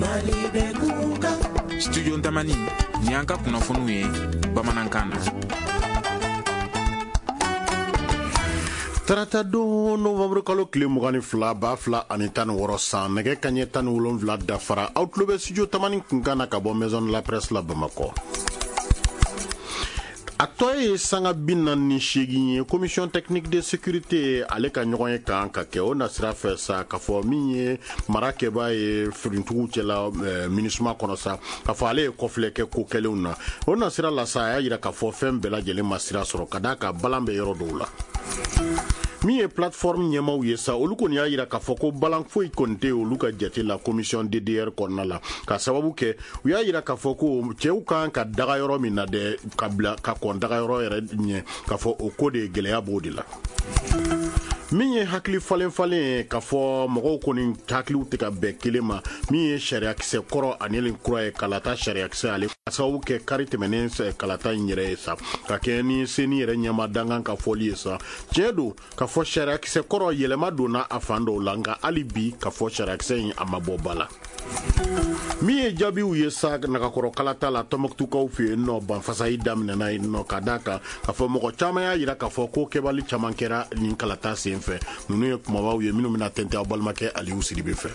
Mali bɛ kunkan. Studio Tamani, ni y'an ka kunnafoniw ye bamanankan na. Tarata don, novembre kalo tile 22, 2016 san, nɛgɛ kaɲɛ 17 dafara, aw tulo bɛ Studio Tamani kunkan na ka bɔ Maison de la Presse la Bamakɔ. A tɔ ye sanga 48 ye, Commission technique de sécurité ale ka ɲɔgɔn ye kan ka kɛ. O nasira fɛ sa, k'a fɔ min ye mara kɛbaa ye firintigiw cɛla MINUSMA kɔnɔ sa, k'a fɔ ale ye kɔfilɛ kɛ ko kɛlenw na. O nasira la sa, a y'a jira k'a fɔ fɛn bɛɛ lajɛlen ma sira sɔrɔ, ka d'a kan balan bɛ yɔrɔ dɔw la. Min ye plateforme ɲɛmaw ye sa, olu kɔni y'a jira k'a fɔ ko balan foyi kɔni tɛ olu ka jate la commission DDR kɔnɔna la, ka sababu kɛ u y'a jira k'a fɔ ko cɛw kan ka daga yɔrɔ min na dɛ, ka bila ka kɔn daga yɔrɔ yɛrɛ ɲɛ, k'a fɔ o ko de gɛlɛya b'o de la. Min ye hakili falen falen ye, k'a fɔ mɔgɔw kɔni hakiliw tɛ ka bɛn kelen ma, min ye sariyakisɛ kɔrɔ ani nin kura ye, kalata sariyakisɛ ale ka sababu kɛ kari tɛmɛnen kalata in yɛrɛ ye sa, ka kɛ ni CENI yɛrɛ ɲɛma dankan ka fɔli ye sa. Tiɲɛ don k'a fɔ sariyakisɛ kɔrɔ yɛlɛma donna a fan dɔw la, nka hali bi k'a fɔ sariyakisɛ in a ma bɔ ba la. Min ye jaabiw ye sa nagakɔrɔ kalata la Tɔnbɔkutukaw fɛ yen nɔ, banfasayi daminɛna yen nɔ, ka d'a kan k'a fɔ mɔgɔ caman y'a jira k'a fɔ ko kɛbali caman kɛra nin kalata sen fɛ. Ninnu ye kumabaw ye minnu bɛna tɛntɛn aw balimakɛ Aliyu Sidibe fɛ.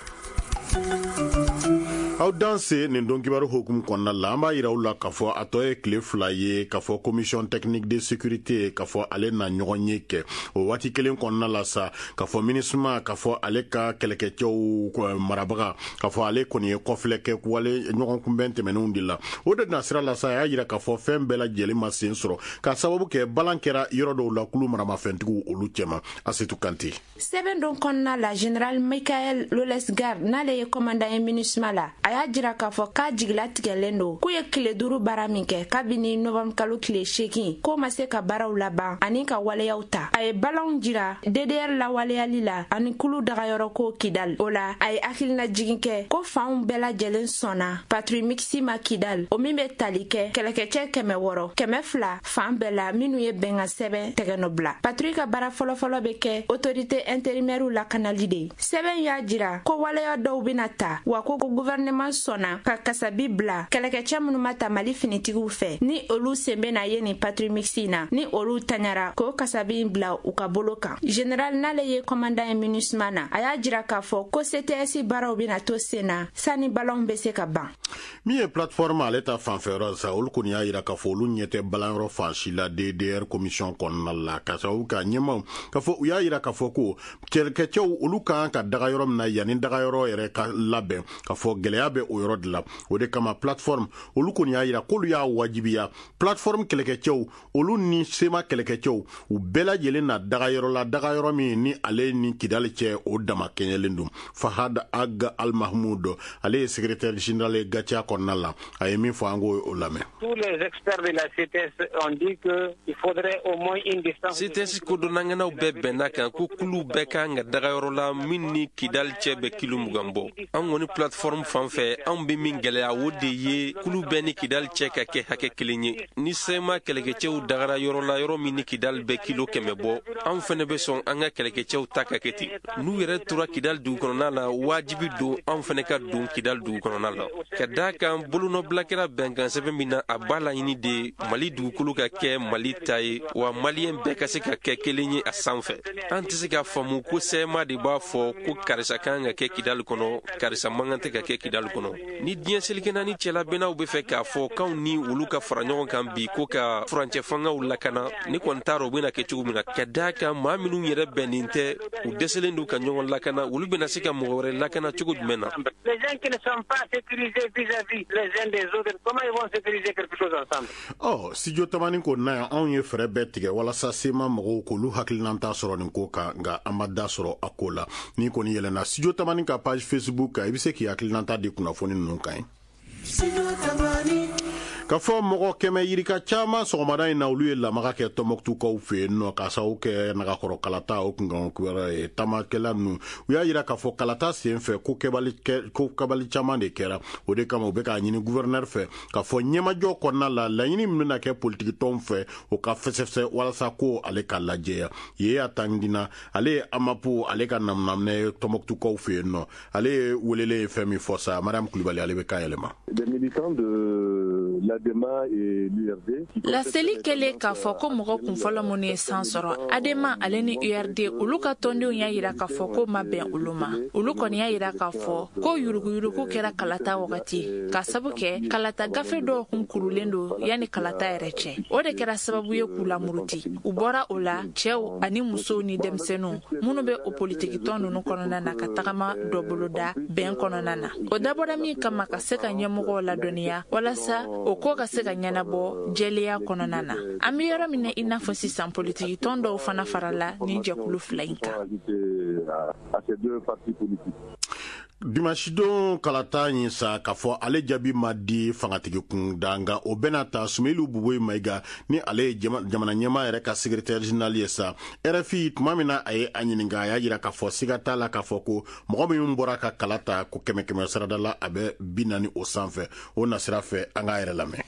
Aw danse nin don kibaru hokumu kɔnɔna la, an b'a yira aw la k'a fɔ a tɔ ye tile 2 ye k'a fɔ commission technique de sécurité k'a fɔ ale na ɲɔgɔn ye kɛ. O waati kelen kɔnɔna la sa, k'a fɔ MINUSMA k'a fɔ ale ka kɛlɛkɛcɛw marabaga k'a fɔ ale kɔni ye kɔfilɛ kɛ wale ɲɔgɔn kunbɛn tɛmɛnenw de la. O de na sira la sa, a y'a yira k'a fɔ fɛn bɛɛ lajɛlen ma sen sɔrɔ, k'a sababu kɛ balan kɛra yɔrɔ dɔw la kulu maramafɛntigiw olu cɛma. Asetu Kante. Sɛbɛn don kɔnɔna la, Général Michael Lolesgard, n'ale ye commandant ye MINUSMA la, a y'a jira k'a fɔ k'a jigilatigɛlen don k'u ye tile 5 baara min kɛ kabini novembre kalo tile 8, k'o ma se ka baaraw laban ani ka waleyaw ta. A ye balanw jira DDR lawaleyali la ani kulu dagayɔrɔ ko Kidal. O la, a ye hakilina jigin kɛ ko fanw bɛɛ lajɛlen sɔnna patrouille mixte ma Kidal, o min bɛ tali kɛ kɛlɛkɛcɛ 600, 200 fan bɛɛ la minnu ye bɛnkan sɛbɛn tɛgɛnɔ bila. Patrouille ka baara fɔlɔfɔlɔ bɛ kɛ autorité intérimaire lakanali de ye. Sɛbɛn y'a jira ko waleya dɔw bɛna ta, wa ko gouvernement sɔnna ka kasabi bila kɛlɛkɛcɛ minnu ma ta Mali finitigiw fɛ, ni olu sen bɛna ye nin patrouille mixte na, ni olu taɲara k'o kasabi in bila u ka bolo kan. Général n'ale ye commandant ye MINUSMA na, a y'a jira k'a fɔ ko CTS baaraw bɛna to sen na sani balanw bɛ se ka ban. Min ye plateforme ale ta fanfɛyɔrɔ sa, olu kɔni y'a jira k'a fɔ olu ɲɛ tɛ balanyɔrɔ fan si la DDR commission kɔnɔna la, ka sababu kɛ ɲɛmaw k'a fɔ u y'a jira k'a fɔ ko kɛlɛkɛcɛw olu kan ka daga yɔrɔ min na yanni dagayɔrɔ yɛrɛ ka labɛn, k'a fɔ gɛlɛya bɛ o yɔrɔ de la. O de kama plateforme olu kɔni y'a jira k'olu y'a wajibiya plateforme kɛlɛkɛcɛw olu ni SEMA kɛlɛkɛcɛw u bɛɛ lajɛlen na dagayɔrɔ la, dagayɔrɔ min ni ale ni Kidali cɛ o dama kɛɲɛlen don. Fahad Ag Al Mahmoud, ale ye secrétaire général ye GATIA kɔnɔna la, a ye min fɔ an k'o lamɛn. Tous les experts de la CTS ont dit que il faudrait au moins une distance. CTS kodɔnnaŋanaw bɛɛ bɛnna kan ko kulu bɛɛ kan ka dagayɔrɔ la min ni Kidali cɛ bɛ kilo 20 bɔ. An kɔni plateforme fan fɛ, anw bɛ min gɛlɛya o de ye kulu bɛɛ ni Kidali cɛ ka kɛ hakɛ kelen ye. Ni SEMA kɛlɛkɛcɛw dagara yɔrɔ la yɔrɔ min ni Kidali bɛ kilo 100 bɔ, anw fɛnɛ bɛ sɔn an ka kɛlɛkɛcɛw ta ka kɛ ten. N'u yɛrɛ tora Kidali dugu kɔnɔna la, wajibi don anw fɛnɛ ka don Kidali dugu kɔnɔna la. Ka d'a kan bolonɔbila kɛra bɛnkan sɛbɛn min na, a b'a laɲini de Mali dugukolo ka kɛ Mali ta ye, wa maliyɛn bɛɛ ka se ka kɛ kelen ye a sanfɛ. An tɛ se k'a faamu ko SEMA de b'a fɔ ko karisa kan ka kɛ Kidali kɔnɔ, karisa man kan tɛ ka kɛ Kidali kɔnɔ. Ni diɲɛ seleke naani cɛlabɛnnaw bɛ fɛ k'a fɔ k'anw ni olu ka fara ɲɔgɔn kan bi ko ka furancɛ fangaw lakana, ne kɔni t'a dɔn u bɛna kɛ cogo min na. Ka d'a kan maa minnu yɛrɛ bɛnnen tɛ, u dɛsɛlen don ka ɲɔgɔn lakana, olu bɛna se ka mɔgɔ wɛrɛ lakana cogo jumɛn na? Les gens qui ne sont pas sécurisés vis-à-vis les uns des autres, comment ils vont sécuriser quelque chose ensemble? Ɔ, Studio Tamani ko na yan, anw ye fɛɛrɛ bɛɛ tigɛ walasa SEMA mɔgɔw k'olu hakilinata sɔrɔ nin ko kan, nka an ma da sɔrɔ a ko la. N'i kɔni yɛlɛnna Studio Tamani ka page Facebook kan, i bɛ se k'i hakilinata di kunnafoni ninnu kan ye. Ka fɔ mɔgɔ 100 yirika caman sɔgɔmada in na, olu ye lamaga kɛ Tɔnbɔkutukaw fɛ yen nɔ, k'a sababu kɛ nagakɔrɔ kalata o kunkan kibaruya ye. Taamakɛla ninnu, u y'a yira k'a fɔ kalata sen fɛ, ko kɛbali caman de kɛra. O de kama, u bɛ k'a ɲini gouverneur fɛ k'a fɔ ɲɛmajɔ kɔnɔna la, laɲini min bɛna kɛ politikitɔnw fɛ, o ka fɛsɛfɛsɛ walasa ko ale ka lajɛya. Ye a tangina, ale ye AMAP, ale ka namunaminɛ Tɔnbɔkutukaw fɛ yen nɔ. Ale ye welelen ye fɛn min fɔ sa, Mariam Kulibali, ale bɛ kan yɛlɛma. Des militants de l'ADEMA et l'URD. Laseli kɛlen k'a fɔ ko mɔgɔ kunfɔlɔ minnu ye san sɔrɔ, ADEMA ale ni URD, olu ka tɔndenw y'a yira k'a fɔ ko ma bɛn olu ma. Olu kɔni y'a yira k'a fɔ ko yuruguyurugu kɛra kalata wagati, k'a sabu kɛ kalata gafe dɔw kun kurulen don yanni kalata yɛrɛ cɛ. O de kɛra sababu ye k'u lamuruti. U bɔra o la, cɛw ani musow ni denmisɛnninw minnu bɛ o politikitɔn ninnu kɔnɔna na, ka tagama dɔ boloda bɛn kɔnɔna na. O dabɔra min kama, ka se ka ɲɛmɔgɔw ladɔnniya walasa o ko ka se ka ɲɛnabɔ jɛlenya kɔnɔna na. An bɛ yɔrɔ min na i n'a fɔ sisan, politikitɔn dɔw fana farala nin jɛkulu fila in kan. Dimanche kalata in sa, k'a fɔ ale jaabi ma di fangatigi kunda, nka o bɛna ta Sumeyilu Buboyi Mayiga, ni ale ye jamana ɲɛmaa yɛrɛ ka secrétaire général ye sa, RFI tuma min na a ye a ɲininka, a y'a jira k'a fɔ siga t'a la k'a fɔ ko mɔgɔ minnu bɔra ka kala ta, ko kɛmɛ kɛmɛ sarada la, a bɛ 40 o sanfɛ. O nasira fɛ, an k'a yɛrɛ lamɛn.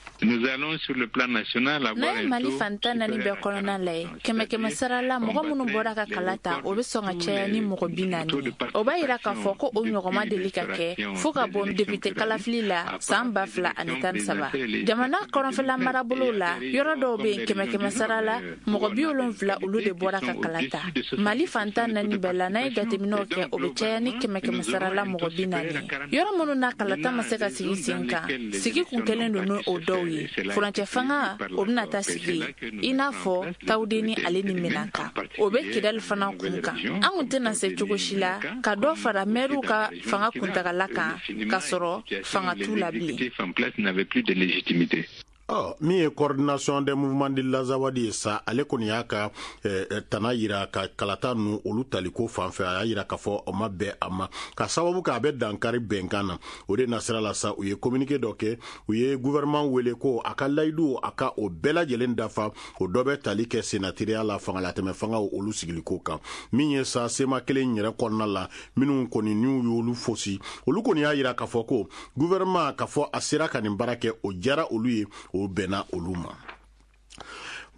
N'a ye Mali fan 14 bɛɛ kɔnɔna lajɛ, kɛmɛ kɛmɛ sara la, mɔgɔ minnu bɔra ka kala ta, o bɛ sɔn ka caya ni mɔgɔ 40 ye. O b'a yira k'a fɔ ko o ɲɔgɔn ma deli ka kɛ fo ka bɔ député kalafili la san 2013. Jamana kɔrɔnfɛla marabolow la, yɔrɔ dɔw bɛ yen, kɛmɛ kɛmɛ sara la, mɔgɔ 70, olu de bɔra ka kala ta. Mali fan 14 bɛɛ la, n'a ye jateminɛw kɛ, o bɛ caya ni kɛmɛ kɛmɛ sara la mɔgɔ 40 ye. Yɔrɔ minnu na kalata ma se ka sigi sen kan, sigi kun kɛlen don n'o dɔw ye, furancɛ fanga o bɛna taa sigi i n'a fɔ Tawudeni ale ni Menaka, o bɛ Kidali fana kun kan. An kun tɛna se cogo si la ka dɔ fara mɛriw ka fanga kuntagala kan k'a sɔrɔ fanga t'u la bilen. Ɔ, min ye Coordination des mouvements de l'Azawad ye sa, ale kɔni y'a ka tana yira ka kalata ninnu olu taliko fan fɛ. A y'a yira k'a fɔ o ma bɛn a ma, ka sababu kɛ a bɛ dankari bɛnkan na. O de nasira la sa, u ye communiqué dɔ kɛ, u ye gouvernement wele ko a ka layidu, a ka o bɛɛ lajɛlen dafa. O dɔ bɛ tali kɛ senatiriya la, fangalatɛmɛ fangaw olu sigiliko kan. Min ye sa, CMA kelen yɛrɛ kɔnɔna la, minnu kɔni n'u y'olu fosi, olu kɔni y'a yira k'a fɔ ko gouvernement, k'a fɔ a sera ka nin baara kɛ, o diyara olu ye, o bɛnna olu ma.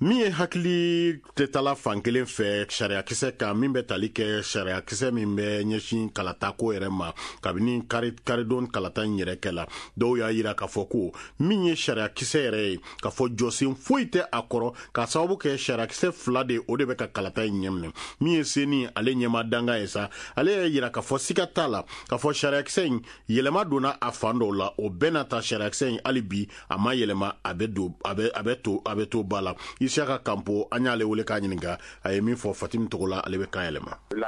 Min ye hakili tɛ fan kelen fɛ sariyakisɛ kan, min bɛ tali kɛ sariyakisɛ min bɛ ɲɛsin kalatako yɛrɛ ma, kabini karidon kalata in yɛrɛ kɛ la, dɔw y'a yira k'a fɔ ko min ye sariyakisɛ yɛrɛ ye, k'a fɔ jɔsen foyi tɛ a kɔrɔ, k'a sababu kɛ sariyakisɛ fila de, o de bɛ ka kalata in ɲɛminɛ. Min ye CENI ale ɲɛma danga ye sa, ale y'a yira k'a fɔ siga t'a la k'a fɔ sariyakisɛ in yɛlɛma donna a fan dɔw la. O bɛɛ n'a ta, sariyakisɛ in hali bi a ma yɛlɛma, a bɛ don a bɛ a bɛ to a bɛ to ba la. Isiyaka Kanpo, an y'ale wele k'a ɲininka, a ye min fɔ Fatimi Togola, ale bɛ kan yɛlɛma. Mɔgɔw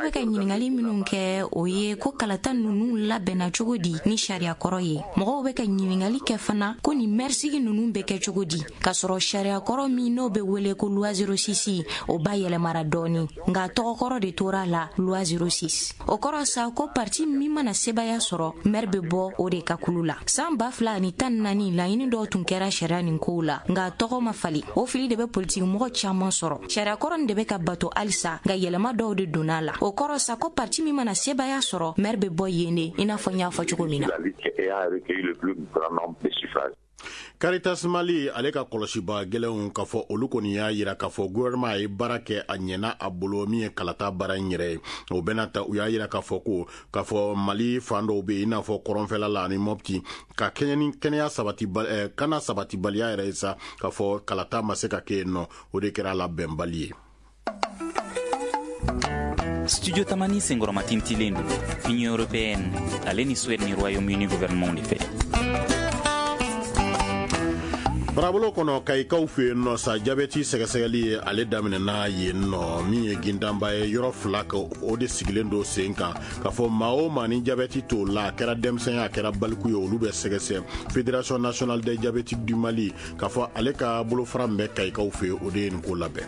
bɛ ka ɲininkali minnu kɛ, o ye ko kalata ninnu labɛnna cogo di ni sariya kɔrɔ ye. Mɔgɔw bɛ ka ɲininkali kɛ fana ko nin mɛrisigi ninnu bɛ kɛ cogo di, k'a sɔrɔ sariya kɔrɔ min n'o bɛ wele ko loi 06, o ba yɛlɛmara dɔɔni, nka tɔgɔkɔrɔ de tora la, loi 06. O kɔrɔ sa ko parti min mana sebaya sɔrɔ, mɛri bɛ bɔ o de ka kulu la. San 2014, laɲini dɔw tun kɛra sariya nin kow la, nka tɔgɔ ma fali. O fili de bɛ politiki mɔgɔ caman sɔrɔ. Sariya kɔrɔ nin de bɛ ka bato halisa, nka yɛlɛma dɔw de donna la. O kɔrɔ sa ko parti min mana sebaya sɔrɔ, mɛri bɛ bɔ yen de, i n'a fɔ n y'a fɔ cogo min na. Caritas Mali ale ka kɔlɔsiba gɛlɛnw, k'a fɔ olu kɔni y'a yira k'a fɔ gouvernement ye baara kɛ, a ɲɛna a bolo, min ye kalata baara in yɛrɛ ye. O bɛna ta, u y'a yira k'a fɔ ko k'a fɔ Mali fan dɔw bɛ yen, i n'a fɔ kɔrɔnfɛla la ani Mɔpti, ka kɛɲɛ ni kɛnɛya sabati kana sabatibaliya yɛrɛ ye sa, k'a fɔ kalata ma se ka kɛ yen nɔ, o de kɛra la bɛnbali ye. Studio Tamani senkɔrɔmatintilen don Union européenne ale ni Suède ni Royaume-Uni gouvernement de fɛ. Marabolo kɔnɔ, Kayikaw fɛ yen nɔ sa, jabɛti sɛgɛsɛgɛli ye ale daminɛna yen nɔ. Min ye gindanba ye, yɔrɔ fila ka o de sigilen don sen kan, k'a fɔ maa o maa ni jabɛti t'o la, a kɛra denmisɛn ye, a kɛra baliku ye, olu bɛ sɛgɛsɛ. Fédération nationale des diabétiques du Mali, k'a fɔ ale ka bolofara min bɛ Kayikaw fɛ yen, o de ye nin ko labɛn.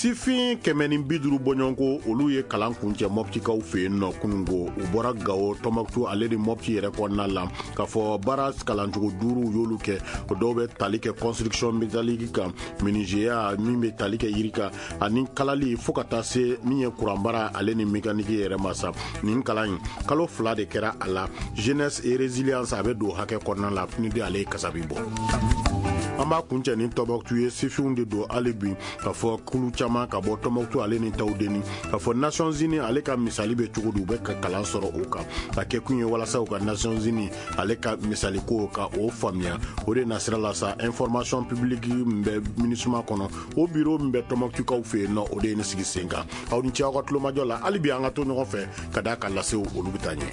Sifin 150 bɔɲɔgɔnko, olu ye kalan kuncɛ Mɔptikaw fɛ yen nɔ kununko. U bɔra Gawo, Tɔnbɔkutu ale ni Mɔpti yɛrɛ kɔnɔna la, k'a fɔ baara kalancogo duuru u y'olu kɛ. O dɔw bɛ tali kɛ construction métallique kan, menuisier min bɛ tali kɛ yiri kan, ani kalali, fo ka taa se min ye kuranbaara ale ni mécanique yɛrɛ ma sa. Nin kalan in, kalo 2 de kɛra a la. Jeunesse et résilience, a bɛ don hakɛ kɔnɔna la. PNUD ale ye kasabi bɔ. An b'a kuncɛ ni Tɔnbɔkutu ye. Sifinw de don hali bi, k'a fɔ kulu caman ka bɔ Tɔnbɔkutu ale ni Tawudeni, k'a fɔ Nations Unies ale ka misali bɛ cogo di, u bɛ ka kalan sɔrɔ o kan. A kɛ kun ye walasa u ka Nations Unies ale ka misali ko ka o faamuya. O de nasira la sa, information publique min bɛ MINUSMA kɔnɔ, o bureau min bɛ Tɔnbɔkutukaw fɛ yen nɔ, o de ye nin sigi sen kan. Aw ni ce aw ka tulomajɔ la. Hali bi an ka to ɲɔgɔn fɛ ka d'a ka lasew, olu bɛ taa ɲɛ.